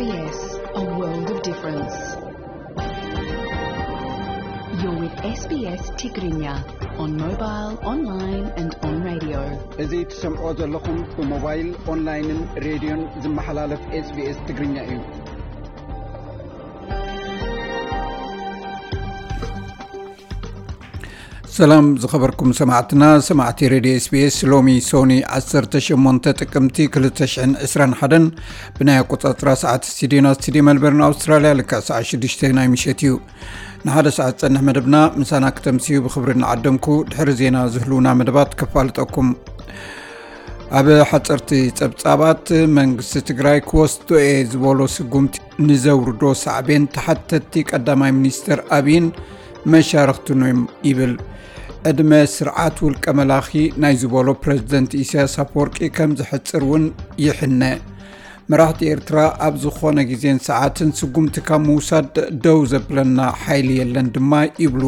S B S, a world of difference. You're with S B S Tigrinya on mobile, online and on radio. እዚ ትሰምዖ ዘለኹም ብሞባይል፣ ኦንላይንን ሬድዮን ዝመሓላለፍ S B S ትግርኛ እዩ። ሰላም ዝኸበርኩም ሰማዕትና፣ ሰማዕቲ ሬድዮ S B S፣ ሎሚ ሶኒ ዓሰርተ ሸሞንተ ጥቅምቲ ክልተ ሽሕን ዕስራን ሓደን ብናይ ኣቆጻጽራ ሰዓት ስቱዲዮና ስቱዲዮ መልበርን ኣውስትራልያ ልክዕ ሰዓት ሽዱሽተ ናይ ምሸት እዩ። ንሓደ ሰዓት ዝጸንሕ መደብና ምሳና ክተምስዩ ብኽብሪ እናዓደምኩ፣ ድሕሪ ዜና ዝህልውና መደባት ከፋልጠኩም። ኣብ ሓጸርቲ ጸብጻባት፣ መንግስቲ ትግራይ ክወስዶ እየ ዝበሎ ስጉምቲ ንዘውርዶ ሳዕቤን ተሓተትቲ ቀዳማይ ሚኒስትር ኣብይን መሻርኽቱን እዮም ይብል። ዕድመ ስርዓት ውልቀ መላኺ ናይ ዝበሎ ፕረዚደንት ኢሳያስ ኣፈወርቂ ከም ዝሕጽር እውን ይሕነ። መራሕቲ ኤርትራ ኣብ ዝኾነ ግዜን ሰዓትን ስጉምቲ ካብ ምውሳድ ደው ዘብለና ሓይሊ የለን ድማ ይብሉ።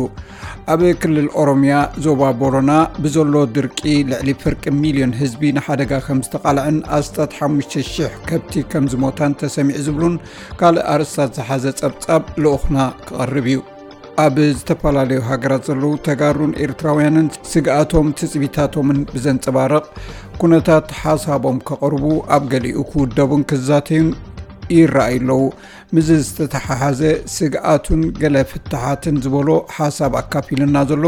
ኣብ ክልል ኦሮምያ ዞባ ቦረና ብዘሎ ድርቂ ልዕሊ ፍርቂ ሚልዮን ህዝቢ ንሓደጋ ከም ዝተቓልዐን ኣስታት ሓሙሽተ ሽሕ ከብቲ ከም ዝሞታን ተሰሚዑ ዝብሉን ካልእ ኣርእስታት ዝሓዘ ጸብጻብ ልኡኽና ክቐርብ እዩ። ኣብ ዝተፈላለዩ ሃገራት ዘለዉ ተጋሩን ኤርትራውያንን ስግኣቶም ትጽቢታቶምን ብዘንጸባርቕ ኩነታት ሓሳቦም ከቕርቡ፣ ኣብ ገሊኡ ክውደቡን ክዛተዩን ይረኣዩ ኣለዉ። ምስዚ ዝተተሓሓዘ ስግኣቱን ገለ ፍትሓትን ዝበሎ ሓሳብ ኣካፊሉና ዘሎ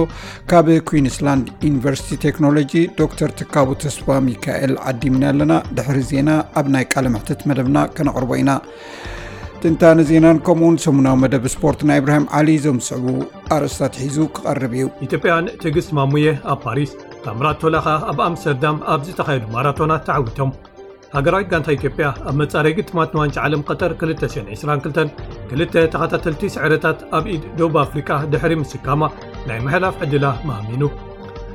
ካብ ኩዊንስላንድ ዩኒቨርሲቲ ቴክኖሎጂ ዶክተር ትካቡ ተስፋ ሚካኤል ዓዲምና ኣለና። ድሕሪ ዜና ኣብ ናይ ቃለ መሕትት መደብና ከነቕርቦ ኢና። ትንታነ ዜናን ከምኡውን ሰሙናዊ መደብ ስፖርት ናይ ኢብራሂም ዓሊ እዞም ዝስዕቡ ኣርእስታት ሒዙ ክቐርብ እዩ። ኢትዮጵያውያን ትዕግስት ማሙየ ኣብ ፓሪስ፣ ታምራት ቶላ ኸኣ ኣብ ኣምስተርዳም ኣብ ዝተኻየዱ ማራቶናት ተዓዊቶም። ሃገራዊት ጋንታ ኢትዮጵያ ኣብ መጻረይ ግጥማት ንዋንጫ ዓለም ቀጠር ክልተ ሽሕን ዕስራን ክልተን ክልተ ተኸታተልቲ ስዕረታት ኣብ ኢድ ደቡብ ኣፍሪቃ ድሕሪ ምስካማ ናይ ምሕላፍ ዕድላ ማሚኑ።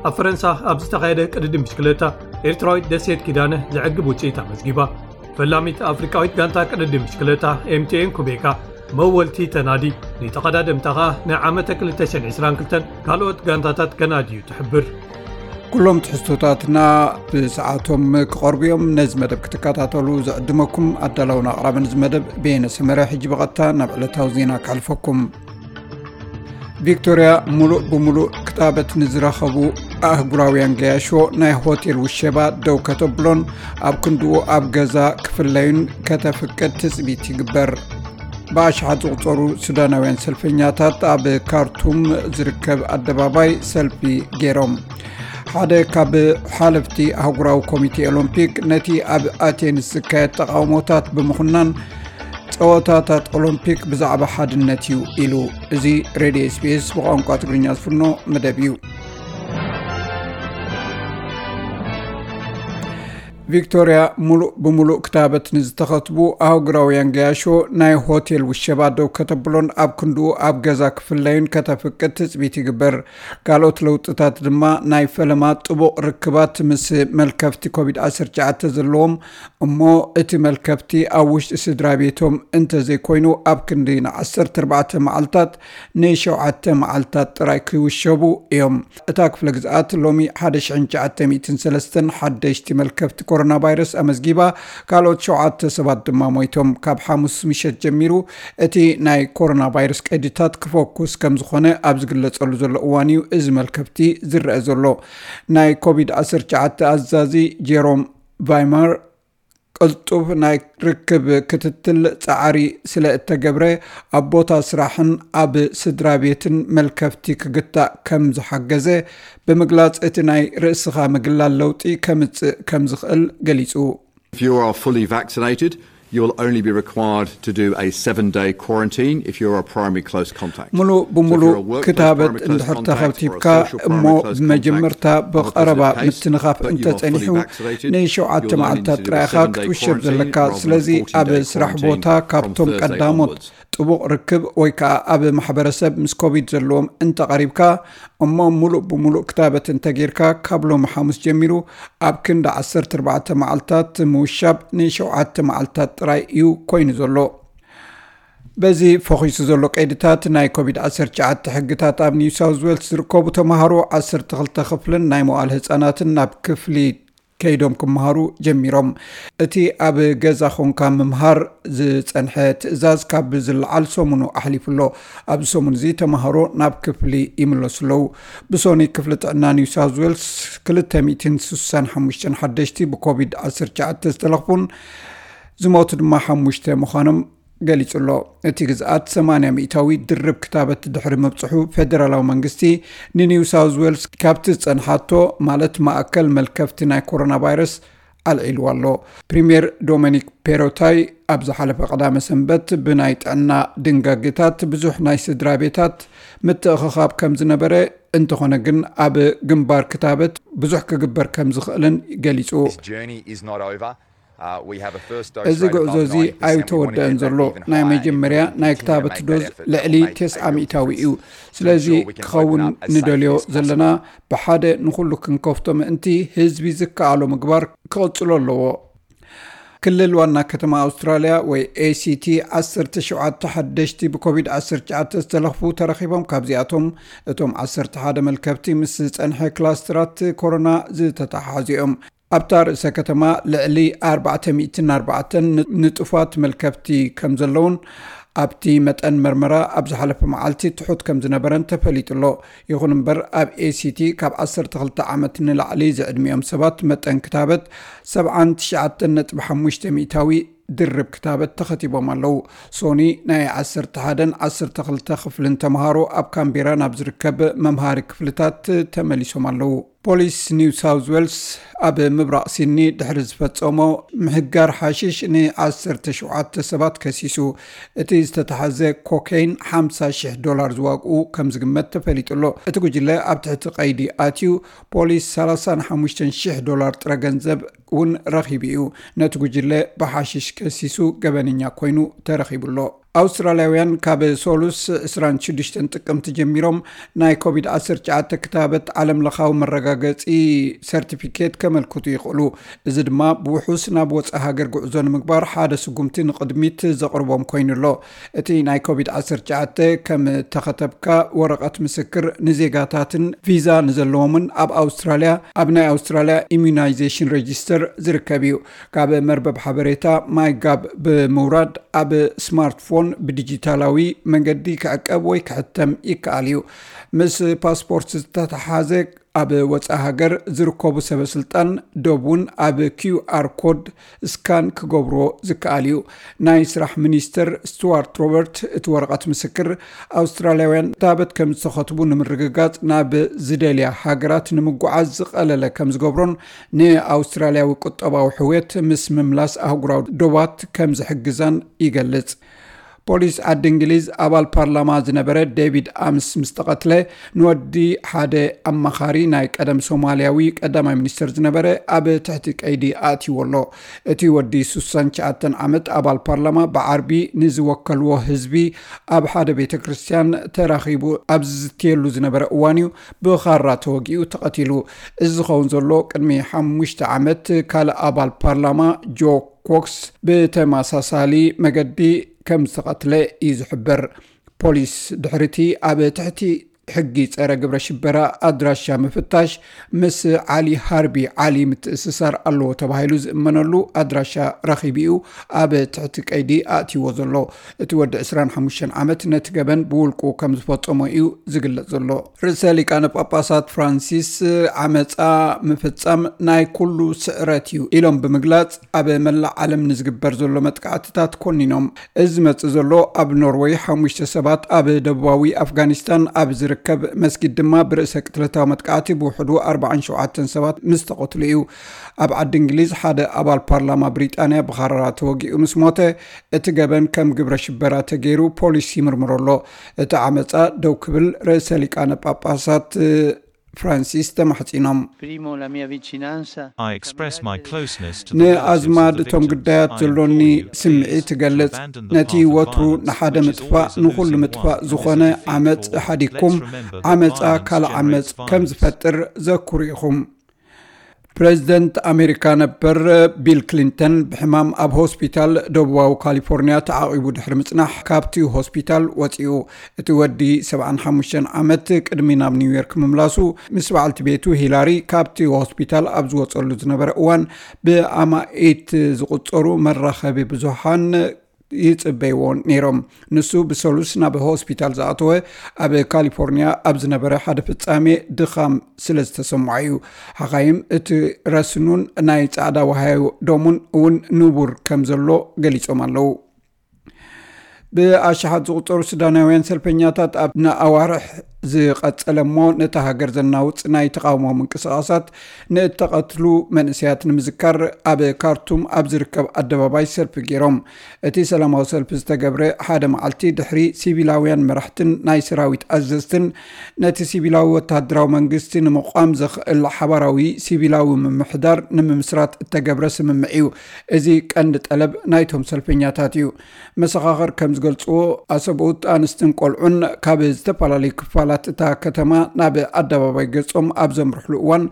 ኣብ ፈረንሳ ኣብ ዝተኻየደ ቅድድም ብሽክለታ ኤርትራዊት ደሴት ኪዳነ ዘዕግብ ውጽኢት ኣመዝጊባ። ፈላሚት ኣፍሪቃዊት ጋንታ ቅድድም ብሽክለታ M T N ኩቤካ መወልቲ ተናዲ፣ ንተቐዳደምታ ኸኣ ንዓመተ ክልተ ሽሕን ዕስራን ክልተን ካልኦት ጋንታታት ከናድዩ ትሕብር። ኩሎም ትሕዝቶታትና ብሰዓቶም ክቐርቡ እዮም። ነዚ መደብ ክትከታተሉ ዝዕድመኩም ኣዳላውን ኣቕራብን እዚ መደብ በየነ ሰመረ። ሕጂ ብቐጥታ ናብ ዕለታዊ ዜና ከሕልፈኩም። ቪክቶርያ፣ ሙሉእ ብሙሉእ ክታበት ንዝረኸቡ ኣህጉራውያን ገያሾ ናይ ሆቴል ውሸባ ደው ከተብሎን ኣብ ክንድኡ ኣብ ገዛ ክፍለዩን ከተፍቅድ ትጽቢት ይግበር። ብኣሽሓት ዝቑጸሩ ሱዳናውያን ሰልፈኛታት ኣብ ካርቱም ዝርከብ ኣደባባይ ሰልፊ ገይሮም። ሓደ ካብ ሓለፍቲ ኣህጉራዊ ኮሚቴ ኦሎምፒክ፣ ነቲ ኣብ ኣቴንስ ዝካየድ ተቓውሞታት ብምኹናን፣ ጸወታታት ኦሎምፒክ ብዛዕባ ሓድነት እዩ ኢሉ። እዚ ሬድዮ S B S ብቋንቋ ትግርኛ ዝፍኖ መደብ እዩ። ቪክቶርያ፣ ሙሉእ ብሙሉእ ክታበት ንዝተኸትቡ ኣህጉራውያን ገያሾ ናይ ሆቴል ውሸባ ደው ከተብሎን ኣብ ክንድኡ ኣብ ገዛ ክፍለዩን ከተፍቅድ ትጽቢት ይግበር። ካልኦት ለውጥታት ድማ ናይ ፈለማ ጥቡቕ ርክባት ምስ መልከፍቲ ኮቪድ ዓሰርተ ትሽዓተ ዘለዎም፣ እሞ እቲ መልከፍቲ ኣብ ውሽጢ ስድራ ቤቶም እንተዘይኮይኑ ኣብ ክንዲ ንዓሰርተ ኣርባዕተ መዓልታት ንሸውዓተ መዓልታት ጥራይ ክውሸቡ እዮም። እታ ክፍለ ግዝኣት ሎሚ ሓደ ሽሕን ትሽዓተ ሚእትን ሰለስተን ሓደሽቲ መልከፍቲ ኮሮና ቫይረስ ኣመዝጊባ፣ ካልኦት ሸውዓተ ሰባት ድማ ሞይቶም። ካብ ሓሙስ ምሸት ጀሚሩ እቲ ናይ ኮሮና ቫይረስ ቀይድታት ክፈኩስ ከም ዝኾነ ኣብ ዝግለጸሉ ዘሎ እዋን እዩ እዚ መልከፍቲ ዝረአ ዘሎ። ናይ ኮቪድ ዓሰርተ ትሽዓተ ኣዛዚ ጀሮም ቫይማር ቅልጡፍ ናይ ርክብ ክትትል ጻዕሪ ስለ እተገብረ፣ ኣብ ቦታ ስራሕን ኣብ ስድራ ቤትን መልከፍቲ ክግታእ ከም ዝሓገዘ ብምግላጽ፣ እቲ ናይ ርእስኻ ምግላል ለውጢ ከምጽእ ከም ዝኽእል ገሊጹ። If you are fully vaccinated, you will only be required to do a seven-day quarantine if you're a primary close contact. ሙሉ ብምሉ ክታበት እንድሕር ተኸቲብካ እሞ ብመጀመርታ ብቐረባ ምትንኻፍ እንተጸኒሑ፣ ንሸውዓተ መዓልታት ጥራይ ኢኻ ክትውሸብ ዘለካ። ስለዚ ኣብ ስራሕ ቦታ ካብቶም ቀዳሞት ጥቡቕ ርክብ ወይ ከኣ ኣብ ማሕበረሰብ ምስ ኮቪድ ዘለዎም እንተቐሪብካ እሞ ሙሉእ ብሙሉእ ክታበት እንተጌርካ፣ ካብ ሎሚ ሓሙስ ጀሚሩ ኣብ ክንዲ ዓሰርተ ኣርባዕተ መዓልታት ምውሻብ ንሸውዓተ መዓልታት ጥራይ እዩ ኮይኑ ዘሎ። በዚ ፈኺሱ ዘሎ ቀይድታት ናይ ኮቪድ ዓሰርተ ትሽዓተ ሕግታት ኣብ ኒው ሳውዝ ዌልስ ዝርከቡ ተምሃሮ ዓሰርተ ክልተ ክፍልን ናይ መዋእለ ህጻናትን ናብ ክፍሊ ከይዶም ክመሃሩ ጀሚሮም። እቲ ኣብ ገዛ ኾንካ ምምሃር ዝጸንሐ ትእዛዝ ካብ ዝለዓል ሰሙኑ ኣሕሊፉ ኣሎ። ኣብዚ ሰሙን እዚ ተምሃሮ ናብ ክፍሊ ይምለሱ ኣለዉ። ብሶኒ ክፍሊ ጥዕና ኒው ሳውዝ ዌልስ ክልተ ሚእትን ስሳን ሓሙሽተን ሓደሽቲ ብኮቪድ ዓሰርተ ትሽዓተ ዝተለኽፉን ዝሞቱ ድማ ሓሙሽተ ምዃኖም ገሊጹ ኣሎ። እቲ ግዝኣት ሰማንያ ሚእታዊ ድርብ ክታበት ድሕሪ ምብጽሑ ፌደራላዊ መንግስቲ ንኒው ሳውዝ ዌልስ ካብቲ ዝጸንሓቶ ማለት ማእከል መልከፍቲ ናይ ኮሮና ቫይረስ ኣልዒልዋ ኣሎ። ፕሪምየር ዶሚኒክ ፔሮታይ ኣብ ዝሓለፈ ቀዳመ ሰንበት ብናይ ጥዕና ድንጋጌታት ብዙሕ ናይ ስድራ ቤታት ምትእኽኻብ ከም ዝነበረ፣ እንተኾነ ግን ኣብ ግንባር ክታበት ብዙሕ ክግበር ከም ዝኽእልን ገሊጹ። This journey is not over. Uh, we have a first dose እዚ rate ጉዕዞ above እዚ ninety percent. We want to ኣይተወደአን get that ዘሎ። even ናይ higher. መጀመርያ We're going to ናይ continue to ክታበት make ዶዝ that effort. ልዕሊ That will make a ተስዓ real ሚእታዊ difference እዩ። to ስለዚ ensure we can ክኸውን open up as safely ንደልዮ as possible. ዘለና ብሓደ ንኹሉ ክንከፍቶ ምእንቲ ህዝቢ ዝከኣሎ ምግባር ክቕጽሎ ኣለዎ። ክልል ዋና ከተማ ኣውስትራልያ ወይ ኤሲቲ ዓሰርተ ሸውዓተ ሓደሽቲ ብኮቪድ ዓሰርተ ትሽዓተ ዝተለኽፉ ተረኺቦም። ካብዚኣቶም እቶም ዓሰርተ ሓደ መልከፍቲ ምስ ዝጸንሐ ክላስተራት ኮሮና ዝተተሓሓዙ እዮም። ኣብታ ርእሰ ከተማ ልዕሊ ኣርባዕተ ሚእትን ኣርባዕተን ንጡፋት መልከፍቲ ከም ዘለውን ኣብቲ መጠን መርመራ ኣብ ዝሓለፈ መዓልቲ ትሑት ከም ዝነበረን ተፈሊጡ ኣሎ። ይኹን እምበር ኣብ ኤሲቲ ካብ ዓሰርተ ክልተ ዓመት ንላዕሊ ዝዕድሚኦም ሰባት መጠን ክታበት ሰብዓን ትሽዓተን ነጥቢ ሓሙሽተ ሚእታዊ ድርብ ክታበት ተኸቲቦም ኣለዉ። ሶኒ ናይ ዓሰርተ ሓደን ዓሰርተ ክልተ ክፍልን ተምሃሮ ኣብ ካምቤራ ናብ ዝርከብ መምሃሪ ክፍልታት ተመሊሶም ኣለዉ። ፖሊስ ኒው ሳውዝ ዌልስ ኣብ ምብራቕ ሲድኒ ድሕሪ ዝፈጸሞ ምህጋር ሓሽሽ ን ዓሰርተ ሸውዓተ ሰባት ከሲሱ። እቲ ዝተታሕዘ ኮኬይን ሓምሳ ሽሕ ዶላር ዝዋግኡ ከም ዝግመት ተፈሊጡ ኣሎ። እቲ ጉጅለ ኣብ ትሕቲ ቀይዲ ኣትዩ። ፖሊስ ሰላሳን ሓሙሽተን ሽሕ ዶላር ጥረ ገንዘብ እውን ረኺቡ እዩ። ነቲ ጉጅለ ብሓሽሽ ከሲሱ ገበነኛ ኮይኑ ተረኺቡ ኣሎ። ኣውስትራልያውያን ካብ ሶሉስ ዕስራን ሽዱሽተን ጥቅምቲ ጀሚሮም ናይ ኮቪድ ዓሰርተ ትሽዓተ ክታበት ዓለም ለኻዊ መረጋገጺ ሰርቲፊኬት ከመልክቱ ይኽእሉ። እዚ ድማ ብውሑስ ናብ ወጻኢ ሃገር ጉዕዞ ንምግባር ሓደ ስጉምቲ ንቕድሚት ዘቕርቦም ኮይኑ ኣሎ። እቲ ናይ ኮቪድ ዓሰርተ ትሽዓተ ከም ተኸተብካ ወረቐት ምስክር ንዜጋታትን ቪዛ ንዘለዎምን ኣብ ኣውስትራልያ ኣብ ናይ ኣውስትራልያ ኢሚዩናይዜሽን ሬጂስተር ዝርከብ እዩ። ካብ መርበብ ሓበሬታ ማይጋብ ብምውራድ ኣብ ስማርትፎን ብዲጂታላዊ መንገዲ ክዕቀብ ወይ ክሕተም ይከኣል እዩ። ምስ ፓስፖርት ዝተተሓዘ ኣብ ወፃኢ ሃገር ዝርከቡ ሰበስልጣን ዶብ እውን ኣብ ኪውኣር ኮድ ስካን ክገብርዎ ዝከኣል እዩ። ናይ ስራሕ ሚኒስተር ስቱዋርት ሮበርት እቲ ወረቐት ምስክር ኣውስትራልያውያን ክታበት ከም ዝተኸትቡ ንምርግጋፅ ናብ ዝደልያ ሃገራት ንምጉዓዝ ዝቐለለ ከም ዝገብሮን ንኣውስትራልያዊ ቁጠባዊ ሕውየት ምስ ምምላስ ኣህጉራዊ ዶባት ከም ዝሕግዛን ይገልፅ። ፖሊስ ዓዲ እንግሊዝ ኣባል ፓርላማ ዝነበረ ዴቪድ ኣምስ ምስ ተቐትለ ንወዲ ሓደ ኣማኻሪ ናይ ቀደም ሶማልያዊ ቀዳማይ ሚኒስትር ዝነበረ ኣብ ትሕቲ ቀይዲ ኣእትይዎ ኣሎ። እቲ ወዲ ስሳን ትሽዓተን ዓመት ኣባል ፓርላማ ብዓርቢ ንዝወከልዎ ህዝቢ ኣብ ሓደ ቤተ ክርስቲያን ተራኺቡ ኣብ ዝዝትየሉ ዝነበረ እዋን እዩ ብኻራ ተወጊኡ ተቐቲሉ። እዚ ዝኸውን ዘሎ ቅድሚ ሓሙሽተ ዓመት ካልእ ኣባል ፓርላማ ጆ ኮክስ ብተመሳሳሊ መገዲ ከም ዝተቐትለ እዩ ዝሕበር። ፖሊስ ድሕሪቲ ኣብ ትሕቲ ሕጊ ጸረ ግብረ ሽበራ ኣድራሻ ምፍታሽ ምስ ዓሊ ሃርቢ ዓሊ ምትእስሳር ኣለዎ ተባሂሉ ዝእመነሉ ኣድራሻ ረኺቡ እዩ ኣብ ትሕቲ ቀይዲ ኣእትይዎ ዘሎ። እቲ ወዲ ዕስራን ሓሙሽተን ዓመት ነቲ ገበን ብውልቁ ከም ዝፈጸሞ እዩ ዝግለጽ ዘሎ። ርእሰ ሊቃነ ጳጳሳት ፍራንሲስ ዓመጻ ምፍጻም ናይ ኩሉ ስዕረት እዩ ኢሎም ብምግላጽ ኣብ መላእ ዓለም ንዝግበር ዘሎ መጥቃዕትታት ኮኒኖም። እዚ ዝመጽእ ዘሎ ኣብ ኖርወይ ሓሙሽተ ሰባት ኣብ ደቡባዊ ኣፍጋኒስታን ኣብ ዝርከብ መስጊድ ድማ ብርእሰ ቅትለታዊ መጥቃዕቲ ብውሕዱ ኣርባዓን ሸውዓተን ሰባት ምስ ተቐትሉ እዩ። ኣብ ዓዲ እንግሊዝ ሓደ ኣባል ፓርላማ ብሪጣንያ ብኻራ ተወጊኡ ምስ ሞተ እቲ ገበን ከም ግብረ ሽበራ ተገይሩ ፖሊስ ይምርምሮ ኣሎ። እቲ ዓመጻ ደው ክብል ርእሰ ሊቃነ ጳጳሳት ፍራንሲስ ተማሕጺኖም። Primo la mia vicinanza I express my closeness to ንኣዝማድ እቶም ግዳያት ዘሎኒ ስምዒት እገልጽ። ነቲ ወትሩ ንሓደ ምጥፋእ ንኹሉ ምጥፋእ ዝኾነ ዓመጽ ሓዲግኩም ዓመጻ ካልእ ዓመጽ ከም ዝፈጥር ዘክሩ ኢኹም። ፕሬዚደንት ኣሜሪካ ነበር ቢል ክሊንተን ብሕማም ኣብ ሆስፒታል ደቡባዊ ካሊፎርኒያ ተዓቒቡ ድሕሪ ምጽናሕ፣ ካብቲ ሆስፒታል ወጺኡ። እቲ ወዲ ሰብዓን ሓሙሽተን ዓመት ቅድሚ ናብ ኒውዮርክ ምምላሱ፣ ምስ በዓልቲ ቤቱ ሂላሪ ካብቲ ሆስፒታል ኣብ ዝወጸሉ ዝነበረ እዋን፣ ብኣማኢት ዝቑጸሩ መራኸቢ ብዙሃን ይጽበይዎ ነይሮም። ንሱ ብሰሉስ ናብ ሆስፒታል ዝኣተወ፣ ኣብ ካሊፎርኒያ ኣብ ዝነበረ ሓደ ፍጻሜ ድኻም ስለ ዝተሰምዖ እዩ። ሓኻይም እቲ ረስኑን ናይ ጻዕዳ ወሃዮ ደሙን እውን ንቡር ከም ዘሎ ገሊጾም ኣለዉ። ብኣሽሓት ዝቑጸሩ ሱዳናውያን ሰልፈኛታት ኣብ ንኣዋርሕ ዝቐጸለ እሞ ነታ ሃገር ዘናውጽ ናይ ተቓውሞ ምንቅስቓሳት ንእተቐትሉ መንእሰያት ንምዝካር ኣብ ካርቱም ኣብ ዝርከብ ኣደባባይ ሰልፊ ገይሮም። እቲ ሰላማዊ ሰልፊ ዝተገብረ ሓደ መዓልቲ ድሕሪ ሲቪላውያን መራሕትን ናይ ሰራዊት ኣዘዝትን ነቲ ሲቪላዊ ወተሃደራዊ መንግስቲ ንምቋም ዘኽእል ሓባራዊ ሲቪላዊ ምምሕዳር ንምምስራት እተገብረ ስምምዕ እዩ። እዚ ቀንዲ ጠለብ ናይቶም ሰልፈኛታት እዩ። መሰኻኽር ከም ዝገልጽዎ፣ ኣሰብኡት፣ ኣንስትን ቆልዑን ካብ ዝተፈላለዩ ክፋላት እታ ከተማ ናብ ኣደባባይ ገጾም ኣብ ዘምርሕሉ እዋን፣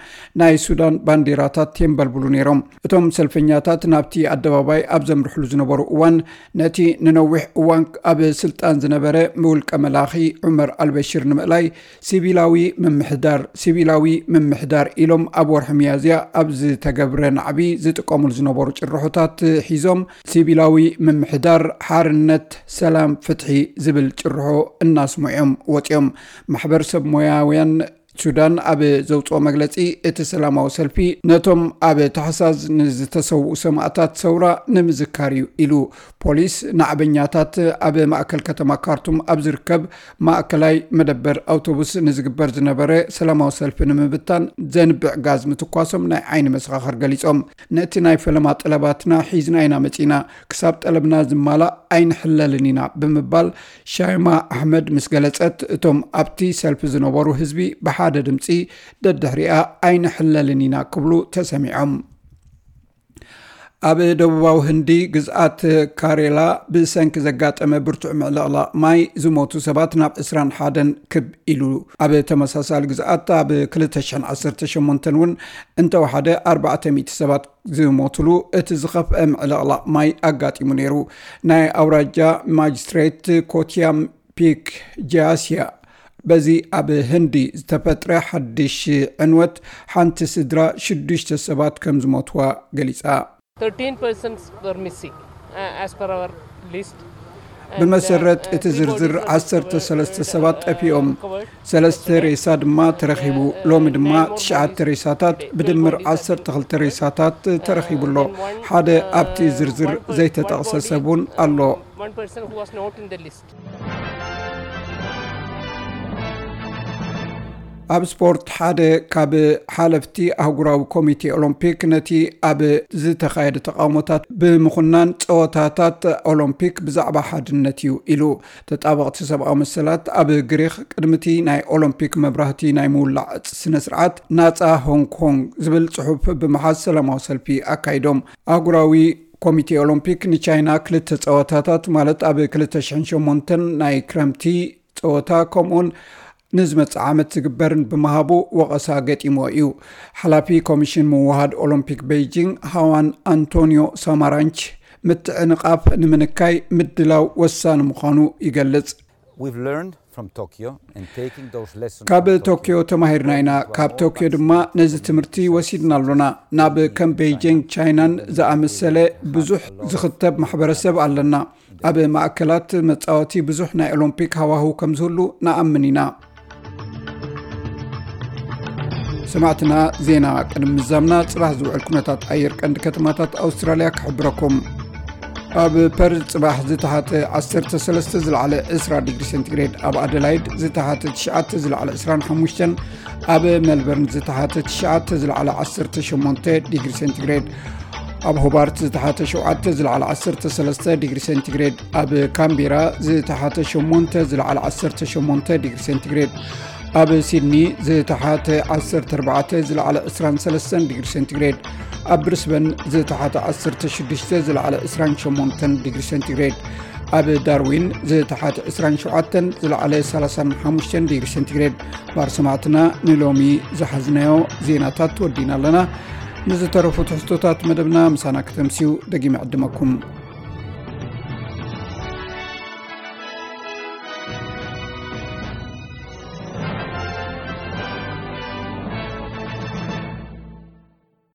ናይ ሱዳን ባንዲራታት የንበልብሉ ነይሮም። እቶም ሰልፈኛታት ናብቲ ኣደባባይ ኣብ ዘምርሕሉ ዝነበሩ እዋን፣ ነቲ ንነዊሕ እዋን ኣብ ስልጣን ዝነበረ ውልቀ መላኺ ዑመር ኣልበሽር ንምእላይ፣ ሲቪላዊ ምምሕዳር፣ ሲቪላዊ ምምሕዳር ኢሎም ኣብ ወርሒ ሚያዝያ ኣብ ዝተገብረ ናዕቢ ዝጥቀሙሉ ዝነበሩ ጭርሖታት ሒዞም፣ ሲቪላዊ ምምሕዳር፣ ሓርነት፣ ሰላም፣ ፍትሒ ዝብል ጭርሖ እናስምዑ እዮም ወጺኦም። ማሕበር ሰብ ሞያውያን ሱዳን ኣብ ዘውፅኦ መግለፂ፣ እቲ ሰላማዊ ሰልፊ ነቶም ኣብ ታሕሳስ ንዝተሰውኡ ሰማእታት ሰውራ ንምዝካር እዩ ኢሉ። ፖሊስ ናዕበኛታት ኣብ ማእከል ከተማ ካርቱም ኣብ ዝርከብ ማእከላይ መደበር ኣውቶቡስ ንዝግበር ዝነበረ ሰላማዊ ሰልፊ ንምብታን ዘንብዕ ጋዝ ምትኳሶም ናይ ዓይኒ መሰኻኽር ገሊጾም። ነቲ ናይ ፈለማ ጠለባትና ሒዝና ኢና መጺና፣ ክሳብ ጠለብና ዝማላእ ኣይንሕለልን ኢና ብምባል ሻይማ ኣሕመድ ምስ ገለጸት፣ እቶም ኣብቲ ሰልፊ ዝነበሩ ህዝቢ ብሓደ ድምጺ ደድሕሪኣ ኣይንሕለልን ኢና ክብሉ ተሰሚዖም። ኣብ ደቡባዊ ህንዲ ግዝኣት ካሬላ ብሰንኪ ዘጋጠመ ብርቱዕ ምዕልቕላቕ ማይ ዝሞቱ ሰባት ናብ ዕስራን ሓደን ክብ ኢሉ። ኣብ ተመሳሳሊ ግዝኣት ኣብ ክልተ ሽሕን ዓሰርተ ሸሞንተን እውን እንተወሓደ ኣርባዕተ ሚእቲ ሰባት ዝሞትሉ እቲ ዝኸፍአ ምዕልቕላቕ ማይ ኣጋጢሙ ነይሩ። ናይ ኣውራጃ ማጅስትሬት ኮትያም ፒክ ጃስያ በዚ ኣብ ህንዲ ዝተፈጥረ ሓድሽ ዕንወት ሓንቲ ስድራ ሽዱሽተ ሰባት ከም ዝሞትዋ ገሊጻ። thirteen persons were missing, uh, as per our list. And, uh, ብመሰረት uh, እቲ three ዝርዝር bodies are ዓሰርተ ሰለስተ discovered, ሰባት uh, ጠፊኦም። recovered. One person who was not in the list. ኣብ ስፖርት፣ ሓደ ካብ ሓለፍቲ ኣህጉራዊ ኮሚቴ ኦሎምፒክ ነቲ ኣብ ዝተኻየደ ተቓውሞታት ብምኹናን ጸወታታት ኦሎምፒክ ብዛዕባ ሓድነት እዩ ኢሉ። ተጣበቕቲ ሰብኣዊ መሰላት ኣብ ግሪኽ ቅድሚ እቲ ናይ ኦሎምፒክ መብራህቲ ናይ ምውላዕ ስነ ስርዓት ናጻ ሆንግ ኮንግ ዝብል ጽሑፍ ብምሓዝ ሰላማዊ ሰልፊ ኣካይዶም። ኣህጉራዊ ኮሚቴ ኦሎምፒክ ንቻይና ክልተ ጸወታታት ማለት ኣብ ክልተ ሽሕን ሸሞንተን ናይ ክረምቲ ጸወታ ከምኡውን ንዝመጽእ ዓመት ዝግበርን ብምሃቡ ወቐሳ ገጢሞ እዩ። ሓላፊ ኮሚሽን ምውሃድ ኦሎምፒክ ቤይጂንግ ሃዋን ኣንቶኒዮ ሳማራንች ምትዕንቓፍ ንምንካይ ምድላው ወሳኒ ምዃኑ ይገልጽ። We've learned from Tokyo and taking those lessons ካብ from Tokyo ቶኪዮ ተማሂርና ኢና። ካብ ቶኪዮ ድማ ነዚ ትምህርቲ ወሲድና ኣሎና። ናብ ከም ቤይጂንግ ቻይናን ዝኣመሰለ ብዙሕ ዝኽተብ ማሕበረሰብ ኣለና። ኣብ ማእከላት መጻወቲ ብዙሕ ናይ ኦሎምፒክ ሃዋህው ከም ዝህሉ ንኣምን ኢና። ሰማዕትና፣ ዜና ቅድሚ ምዛምና ጽባሕ ዝውዕል ኩነታት ኣየር ቀንዲ ከተማታት ኣውስትራልያ ክሕብረኩም። ኣብ ፐርዝ ጽባሕ ዝተሓተ ዓሰርተ ሰለስተ ዝለዓለ ዕስራ ዲግሪ ሴንቲግሬድ፣ ኣብ ኣደላይድ ዝተሓተ ትሽዓተ ዝለዓለ ዕስራን ሓሙሽተን፣ ኣብ ሜልበርን ዝተሓተ ትሽዓተ ዝለዓለ ዓሰርተ ሸሞንተ ዲግሪ ሴንቲግሬድ፣ ኣብ ሆባርት ዝተሓተ ሸውዓተ ዝለዓለ ዓሰርተ ሰለስተ ዲግሪ ሴንቲግሬድ፣ ኣብ ካምቤራ ዝተሓተ ሸሞንተ ዝለዓለ ዓሰርተ ሸሞንተ ዲግሪ ሴንቲግሬድ፣ ኣብ ሲድኒ ዝተሓተ ዓሰርተ ኣርባዕተ ዝለዓለ ዕስራን ሰለስተን ዲግሪ ሴንቲግሬድ፣ ኣብ ብሪስበን ዝተሓተ ዓሰርተ ሽዱሽተ ዝለዓለ ዕስራን ሸሞንተን ዲግሪ ሴንቲግሬድ፣ ኣብ ዳርዊን ዝተሓተ ዕስራን ሸውዓተን ዝለዓለ ሰላሳን ሓሙሽተን ዲግሪ ሴንቲግሬድ። ባር ሰማዕትና፣ ንሎሚ ዝሓዝናዮ ዜናታት ወዲና ኣለና። ንዝተረፉ ትሕዝቶታት መደብና ምሳና ከተምስዩ ደጊመ ዕድመኩም።